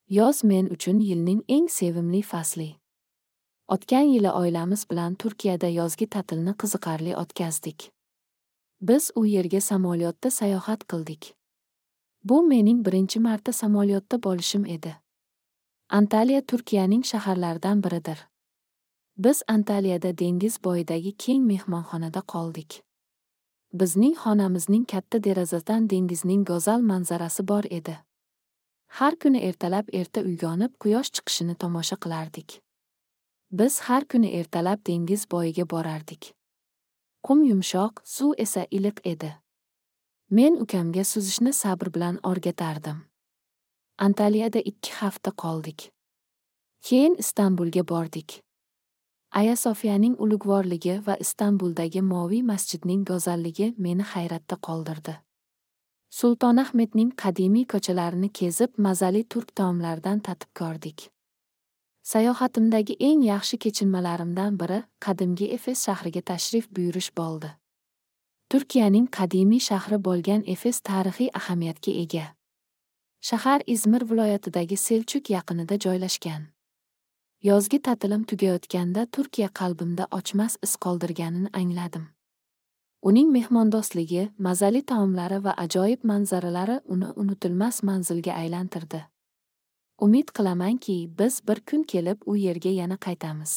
Yoz men uchun yilning eng sevimli fasli. O'tgan yili oilamiz bilan Turkiyada yozgi ta'tilni qiziqarli o'tkazdik. Biz u yerga samolyotda sayohat qildik. Bu mening birinchi marta samolyotda bo'lishim edi. Antaliya Turkiyaning shaharlaridan biridir. Biz Antaliyada dengiz bo'yidagi keng mehmonxonada qoldik. Bizning xonamizning katta derazasidan dengizning go'zal manzarasi bor edi. Har kuni ertalab erta uyg'onib, quyosh chiqishini tomosha qilardik. Biz har kuni ertalab dengiz bo'yiga borardik. Qum yumshoq, suv esa iliq edi. Men ukamga suzishni sabr bilan o'rgatardim. Antaliyada 2 hafta qoldik. Keyin Istanbulga bordik. Aya Sofiyaning ulug'vorligi va Istanbuldagi Moviy masjidning go'zalligi meni hayratda qoldirdi. Sultonahmetning qadimiy ko'chalarini kezib, mazali turk taomlaridan tatib ko'rdik. Sayohatimdagi eng yaxshi kechinmalarimdan biri qadimgi Efes shahriga tashrif buyurish bo'ldi. Turkiyaning qadimiy shahri bo'lgan Efes tarixiy ahamiyatga ega. Shahar Izmir viloyatidagi Selçuk yaqinida joylashgan. Yozgi ta'tilim tugayotganda Turkiya qalbimda o'chmas iz qoldirganini angladim. Uning mehmondo'stligi, mazali taomlari va ajoyib manzaralari uni unutilmas manzilga aylantirdi. Umid qilamanki, biz bir kun kelib u yerga yana qaytamiz.